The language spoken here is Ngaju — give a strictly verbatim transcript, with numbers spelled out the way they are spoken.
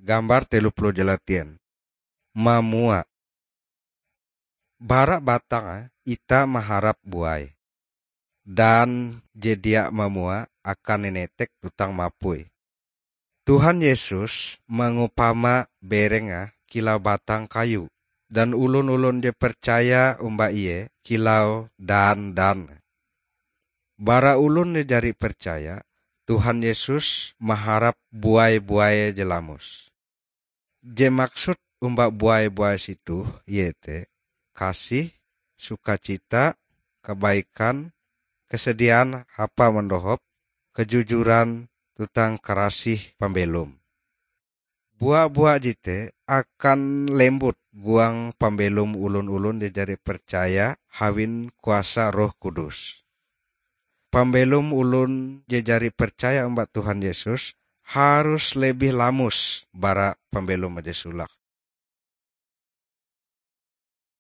Gambar telu puluh jalatien. Mamua. Bara batang, eh, itah maharap buai. Dan je dia mamua akan inetek tuntang mapui. Tuhan Yesus mangupama bereng, eh, kilau batang kayu, dan olon-olon je percaya omba Ie kilau dan-dan. Bara olon je jari percaya, Tuhan Yesus maharap buai-buai je lamus. Je maksud omba buai-buai jetoh iete kasih, sukacita, kabaikan, kasediaan hapa mandohop, kajujuran, tuntang karasih pambelom. Bua-bua jete akan lembut huang pambelom olon-olon je jari percaya awi kuasa Roh Kudus. Pambelom olon je jari percaya omba Tuhan Yesus harus lebih lamus bara pambelom je solake.